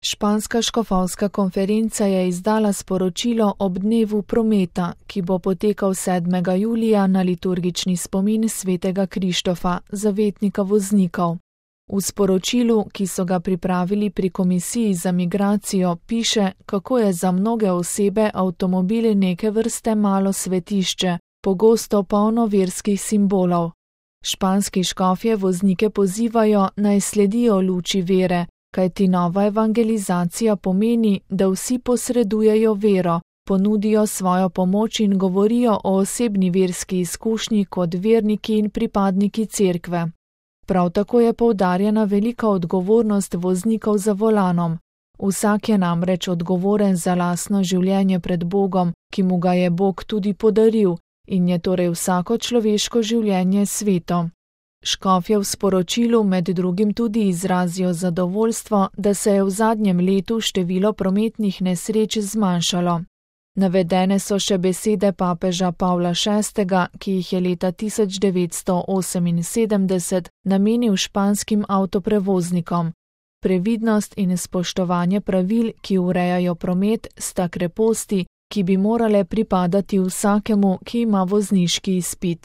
Španska škofovska konferenca je izdala sporočilo ob dnevu prometa, ki bo potekal 7. julija na liturgični spomin svetega Krištofa, zavetnika voznikov. V sporočilu, ki so ga pripravili pri Komisiji za migracijo, piše, kako je za mnoge osebe avtomobili neke vrste malo svetišče, pogosto polno verskih simbolov. Španski škofje voznike pozivajo, naj sledijo luči vere, kajti nova evangelizacija pomeni, da vsi posredujejo vero, ponudijo svojo pomoč in govorijo o osebni verski izkušnji kot verniki in pripadniki cerkve. Prav tako je poudarjena velika odgovornost voznikov za volanom. Vsak je namreč odgovoren za lastno življenje pred Bogom, ki mu ga je Bog tudi podaril, in je torej vsako človeško življenje sveto. Škofje v sporočilu med drugim tudi izrazijo zadovoljstvo, da se je v zadnjem letu število prometnih nesreč zmanjšalo. Navedene so še besede papeža Pavla VI., ki jih je leta 1978 namenil španskim avtoprevoznikom. Previdnost in spoštovanje pravil, ki urejajo promet, sta kreposti, ki bi morale pripadati vsakemu, ki ima vozniški izpit.